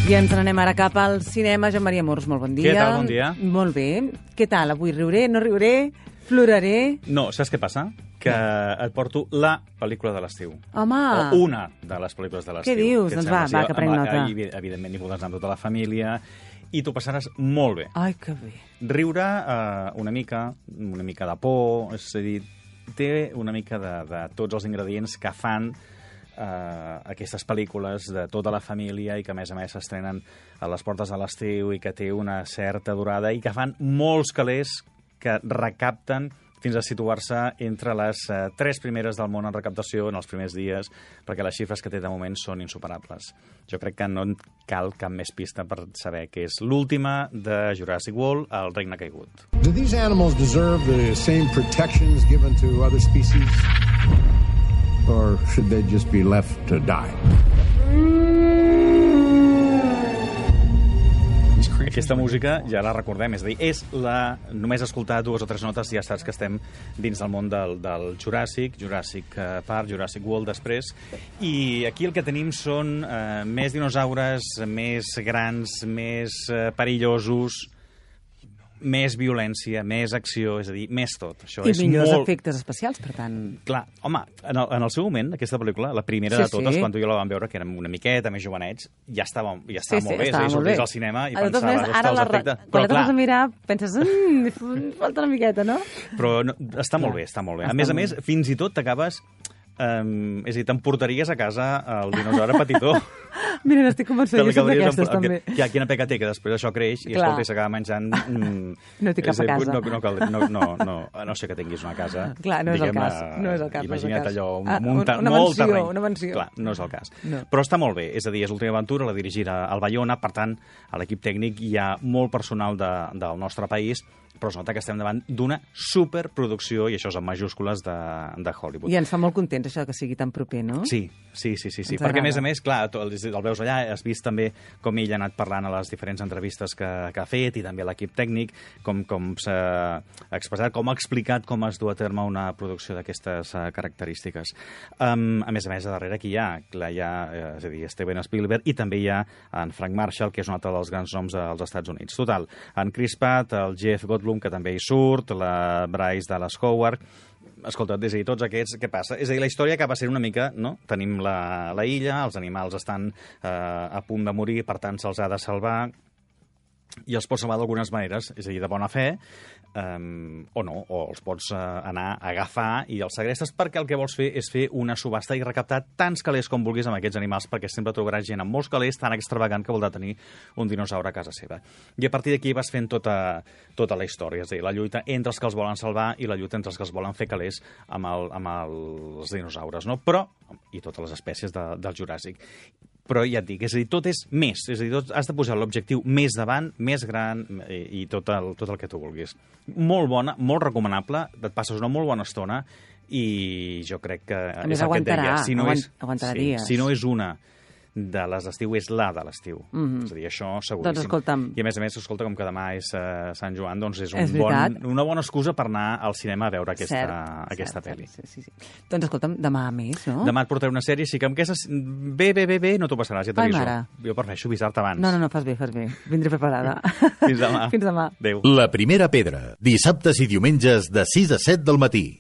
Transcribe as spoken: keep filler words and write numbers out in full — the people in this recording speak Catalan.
I ens n'anem ara cap al cinema. Joan Maria Mors, molt bon dia. Què tal, bon dia? Molt bé. Què tal? Avui riuré, no riuré, ploraré... No, saps què passa? Que et porto la pel·lícula de l'estiu. Home! O una de les pel·lícules de l'estiu. Què dius? Doncs va, va, que prenc nota. Evidentment, hi podràs anar amb tota la família i t'ho passaràs molt bé. Ai, que bé. Riure eh, una mica, una mica de por, és a dir, té una mica de, de tots els ingredients que fan Uh, aquestes pel·lícules de tota la família i que a més a més s'estrenen a les portes de l'estiu i que té una certa durada i que fan molts calés que recapten fins a situar-se entre les uh, tres primeres del món en recaptació en els primers dies, perquè les xifres que té de moment són insuperables. Jo crec que no en cal cap més pista per saber que és l'última de Jurassic World, El regne caigut. Do these animals deserve the same protections given to other species? Or should they just be left to die? Aquesta música ja la recordem, és a dir, és la... només escoltar dues o tres notes ja saps que estem dins del món del, del Jurassic, Jurassic Park, Jurassic World després, i aquí el que tenim són eh, més dinosaures, més grans, més eh, perillosos, més violència, més acció, és a dir, més tot. Això I és millors molt... efectes especials, per tant... Clar, home, en el, en el seu moment, aquesta pel·lícula, la primera Sí, de totes, sí. quan tu i jo la vam veure, que érem una miqueta més jovenets, ja estava, ja estava Sí, sí, molt bé. estava és a dir, molt bé. sorties al cinema i De totes pensaves, maneres, ara ostres, la, perfecte. quan Però la tornes clar, a mirar, penses, mmm, falta una miqueta, no? però no, està molt bé, està molt bé. A Està més a molt més, fins i tot t'acabes... Um, és a dir, t'emportaries a casa el dinosaure petitó. Mira, n'estic convençuda, jo soc d'aquestes, també. Ja, quina peca té, que després això creix i, Clar. escolta, i s'acaba menjant... Mm, No té cap és dir, a casa. No, no, cal- no, no, no, a no sé que tinguis una casa. Clar, no és el diguem, cas, eh, no és el cas, no és el Imagina't cas. allò, Ah, munta, una molt mansió, terreny. una mansió. Clar, no és el cas. No. Però està molt bé, és a dir, és l'última aventura, la dirigirà al Bayona, per tant, a l'equip tècnic hi ha molt personal de, del nostre país, però es nota que estem davant d'una superproducció, i això és en majúscules, de, de Hollywood. I ens fa molt contents això que sigui tan proper, no? Sí, sí, sí, sí, sí. Ens perquè a més agrada. a més, clar, tu el, el veus allà, has vist també com ell ha anat parlant a les diferents entrevistes que, que ha fet i també a l'equip tècnic, com, com s'ha expressat, com ha explicat com es du a terme una producció d'aquestes uh, característiques. Um, a més a més, a darrere aquí hi ha, clar, hi ha eh, és a dir, Steven Spielberg i també hi ha en Frank Marshall, que és un altre dels grans noms dels Estats Units. Total, en Chris Pratt, el Jeff Goldblum, que també hi surt, la Bryce Dallas Howard... Escolta, és a dir, tots aquests, què passa? És a dir, la història acaba sent una mica, no? Tenim la, la illa, els animals estan eh, a punt de morir, per tant se'ls ha de salvar, i els pots salvar d'algunes maneres, és a dir, de bona fe, um, o no, o els pots uh, anar a agafar i els segrestes, perquè el que vols fer és fer una subhasta i recaptar tants calés com vulguis amb aquests animals, perquè sempre trobaràs gent amb molts calés tan extravagant que voldrà tenir un dinosaure a casa seva. I a partir d'aquí vas fent tota, tota la història, és a dir, la lluita entre els que els volen salvar i la lluita entre els que els volen fer calés amb, el, amb els dinosaures, no? Però, i totes les espècies de, del Juràssic. Però ja et dic, és a dir, tot és més, és a dir, tot, has de posar l'objectiu més davant, més gran i, i tot, el, tot el que tu vulguis. Molt bona, molt recomanable, et passes una molt bona estona i jo crec que... A més, és el que et aguantarà, deia, si no aguant- és, aguantarà sí, dies. si no és una de les d'estiu, és la de l'estiu. Mhm. És a dir, això seguríssim. Doncs escolta'm. I a més a més, escolta, com que demà és uh, Sant Joan, doncs és, un És bon, veritat. una bona excusa per anar al cinema a veure aquesta, Cert, aquesta cert, pel·li. cert, sí, sí, sí. Doncs escolta'm, demà més, no? Demà et portaré una sèrie, sí que amb aquestes... Bé, bé, bé, bé, no t'ho passaràs, ja Ai, t'aviso. mare. Jo prefereixo avisar-te abans. No, no, no, fas bé, fas bé. Vindré preparada. Fins demà. Fins demà. Adéu. La primera pedra, dissabtes i diumenges de sis a set del matí.